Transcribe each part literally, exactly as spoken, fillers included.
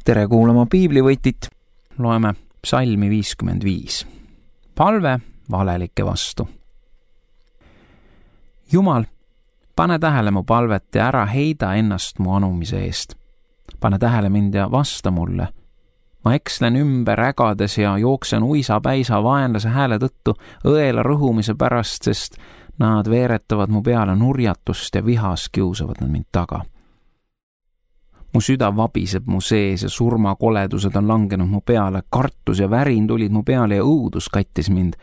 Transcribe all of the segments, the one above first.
tere kuulama piiblivõtit, loeme psalmi viiskümmend viis. Palve valelike vastu. Jumal, pane tähele mu palvet ja ära heida ennast mu anumise eest. Pane tähele mind ja vasta mulle. Ma ekslen ümber ägades ja jooksen uisa-päisa vaenlase hääle tõttu õela rõhumise pärast, sest nad veeretavad mu peale nurjatust ja vihas kiusavad nad mind taga. Mu süda vabiseb mu sees ja surmakoledused on langenud mu peale, kartus ja värin tulid mu peale ja õudus kattis mind.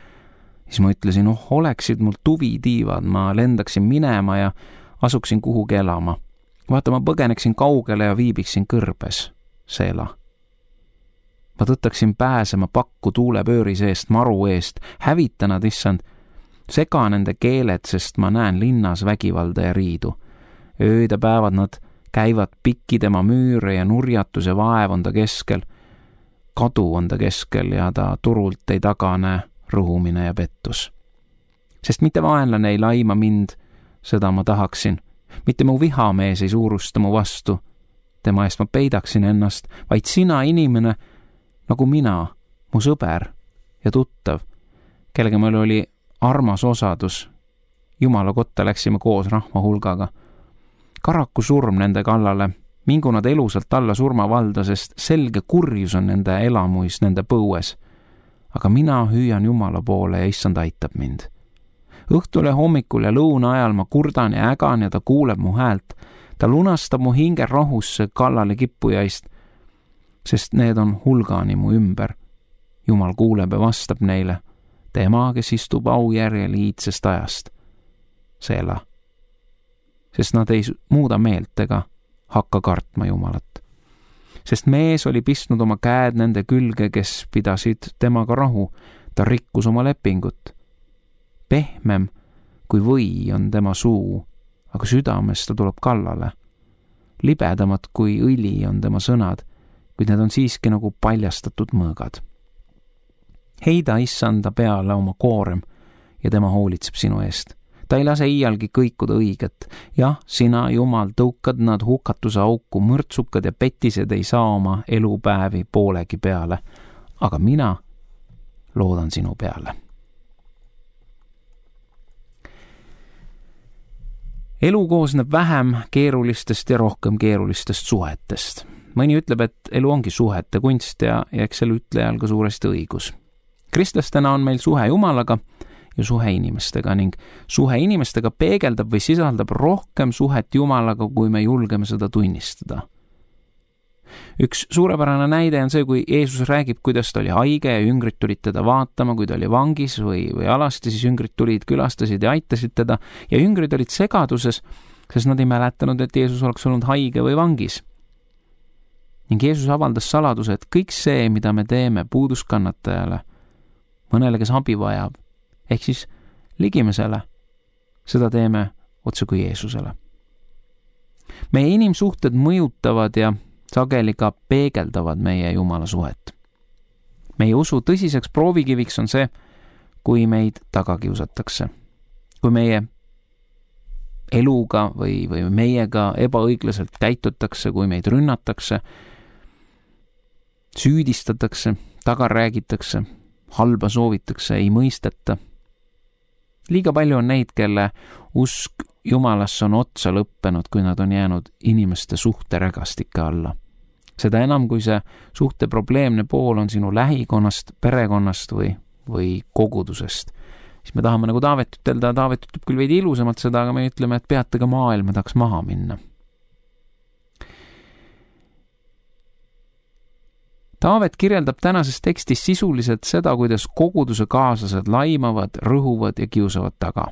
Siis ma ütlesin, oh, oleksid mul tuvitiivad, ma lendaksin minema ja asuksin kuhugi elama. Vaata, ma põgeneksin kaugele ja viibiksin kõrbes, Seela. Ma tõttaksin pääsema pakku tuulepööri seest, maru eest, hävita nad, issand, sega nende keeled, sest ma näen linnas vägivalda ja riidu. Ööd ja päevad nad käivad pikki tema müüre ja nurjatus ja vaev on ta keskel. Kadu on ta keskel ja ta turult ei tagane rõhumine ja pettus. Sest mitte vaenlane ei laima mind, seda ma tahaksin. Mitte mu vihamees ei suurusta mu vastu. Tema eest ma peidaksin ennast, vaid sina inimene, nagu mina, mu sõber ja tuttav, kellega meil oli armas osadus. Jumala kotta läksime koos rahva hulgaga. Karaku surm nende kallale, mingu nad elusalt alla surmavalda, sest selge kurjus on nende elamuis, nende põues. Aga mina hüüan Jumala poole ja issand aitab mind. Õhtul ja hommikul ja lõuna ajal ma kurdan ja ägan ja ta kuuleb mu häält. Ta lunastab mu hinge rahusse kallale kippujaist, sest need on hulgani mu ümber. Jumal kuuleb ja vastab neile. Tema, kes istub aujärjel iidsest ajast. Seela. Sest nad ei muuda meelt ega hakka kartma Jumalat. Sest mees oli pistnud oma käed nende külge, kes pidasid temaga rahu, ta rikkus oma lepingut. Pehmem kui või on tema suu, aga südames ta tuleb kallale. Libedamad kui õli on tema sõnad, kuid need on siiski nagu paljastatud mõõgad. Heida issanda peale oma koorem ja tema hoolitseb sinu eest. Ta ei lase iialgi kõikuda õiget. Jah, sina, Jumal, tõukad nad hukatuse auku, mõrtsukad ja petised ei saa oma elupäevi poolegi peale. Aga mina loodan sinu peale. Elu koosneb vähem keerulistest ja rohkem keerulistest suhetest. Mõni ütleb, et elu ongi suhete kunst ja, ja eks selle ütlejal ka suuresti õigus. Kristlastena on meil suhe Jumalaga ja suhe inimestega ning suhe inimestega peegeldab või sisaldab rohkem suhet Jumalaga, kui me julgeme seda tunnistada. Üks suurepärane näide on see, kui Jeesus räägib, kuidas ta oli haige ja jüngrid tulid teda vaatama, kui ta oli vangis või, või alasti, siis jüngrid tulid, külastasid ja aitasid teda ja jüngrid olid segaduses, sest nad ei mäletanud, et Jeesus oleks olnud haige või vangis. Ning Jeesus avaldas saladuse, et kõik see, mida me teeme puuduskannatajale, mõnele, kes abi vajab, ehk siis ligimesele, seda teeme otse kui Jeesusele. Meie inimsuhted mõjutavad ja sageli ka peegeldavad meie Jumala suhet. Meie usu tõsiseks proovikiviks on see, kui meid taga kiusatakse. Kui meie eluga või, või meiega ebaõiglaselt käitutakse, kui meid rünnatakse, süüdistatakse, taga räägitakse, halba soovitakse, ei mõisteta. Liiga palju on neid, kelle usk Jumalasse on otsa lõppenud, kui nad on jäänud inimeste suhte rägastike alla. Seda enam, kui see suhte probleemne pool on sinu lähikonnast, perekonnast või, või kogudusest. Siis me tahame nagu Taavet ütelda, Taavet ütleb küll veidi ilusamalt seda, aga me ütleme, et peate ka maailma tahaks maha minna. Taavet kirjeldab tänases tekstis sisuliselt seda, kuidas koguduse kaaslased laimavad, rõhuvad ja kiusavad taga.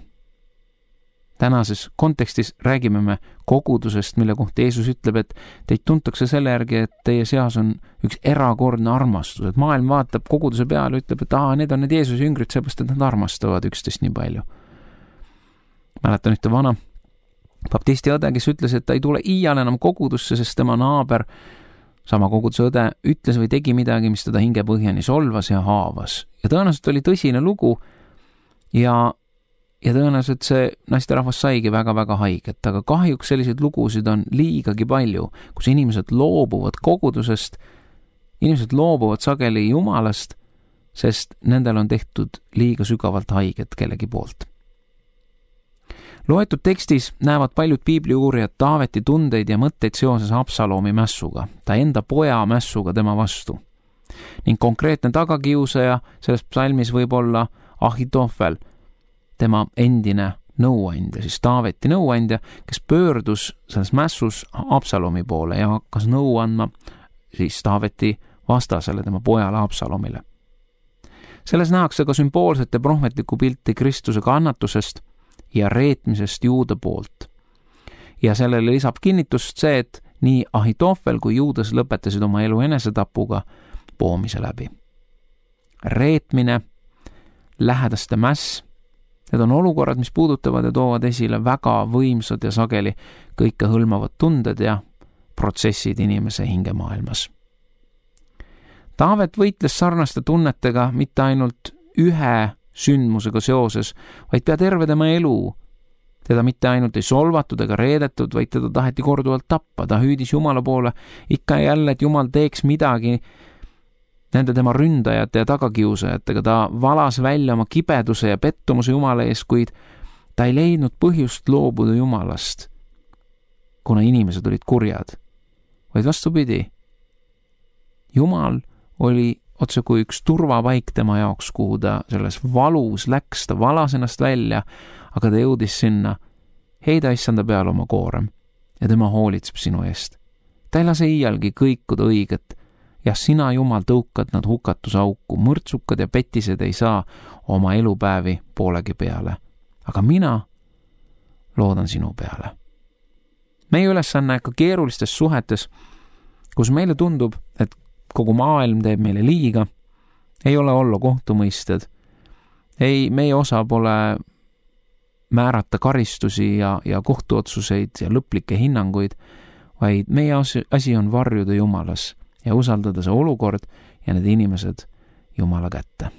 Tänases kontekstis räägime me kogudusest, mille kohta Jeesus ütleb, et teid tuntakse selle järgi, et teie seas on üks erakordne armastus, et maailm vaatab koguduse peale ja ütleb, et aa, need on need Jeesuse jüngrid, seepärast, et nad armastavad üksteist nii palju. Mäletan ühte vana baptisti õde, kes ütles, et ta ei tule iial enam kogudusse, sest tema naaber sama koguduse õde ütles või tegi midagi, mis teda hingepõhjani solvas ja haavas. Ja tõenäoliselt oli tõsine lugu ja ja tõenäoliselt see naisterahvas saigi väga-väga haiget, aga kahjuks selliseid lugusid on liigagi palju, kus inimesed loobuvad kogudusest, inimesed loobuvad sageli Jumalast, sest nendel on tehtud liiga sügavalt haiget kellegi poolt. Loetud tekstis näevad paljud piibliuurijad Taaveti tundeid ja mõtteid seoses Absalomi mässuga, ta enda poja mässuga tema vastu. Ning konkreetne tagakiusaja selles psalmis võib olla Ahitofel, tema endine nõuandja, siis Taaveti nõuandja, kes pöördus selles mässus Absalomi poole ja hakkas nõu andma siis Taaveti vastasele, tema pojale Absalomile. Selles nähakse ka sümboolset ja prohvetlikku pilti Kristuse kannatusest ja reetmisest Juuda poolt. Ja sellele lisab kinnitust see, et nii Ahitofel kui Juudas lõpetasid oma elu enesetapuga poomise läbi. Reetmine, lähedaste mäss, need on olukorrad, mis puudutavad ja toovad esile väga võimsad ja sageli kõike hõlmavad tunded ja protsessid inimese hingemaailmas. Taavet võitles sarnaste tunnetega mitte ainult ühe sündmusega seoses, vaid pea terve tema elu. Teda mitte ainult ei solvatud ega reedetud, vaid teda taheti korduvalt tappa. Ta hüüdis Jumala poole ikka ja jälle, et Jumal teeks midagi nende tema ründajate ja tagakiusajatega. Ta valas välja oma kibeduse ja pettumuse Jumala ees, kuid ta ei leidnud põhjust loobuda Jumalast, kuna inimesed olid kurjad. Vaid vastupidi, Jumal oli otse kui üks turvapaik tema jaoks, kuhu ta selles valus läks, ta valas ennast välja, aga ta jõudis sinna, heida issanda peale oma koorem ja tema hoolitseb sinu eest. Ta ei lase iialgi kõikuda õiget. Ja sina, Jumal, tõukad nad hukatusauku, mõrtsukad ja petised ei saa oma elupäevi poolegi peale. Aga mina loodan sinu peale. Meie ülesanne ka keerulistes suhetes, kus meile tundub, et kogu maailm teeb meile liiga, ei ole olla kohtumõisted. Ei, meie osa pole määrata karistusi ja, ja kohtuotsuseid ja lõplikke hinnanguid, vaid meie asi on varjuda Jumalas ja usaldada see olukord ja need inimesed Jumala kätte.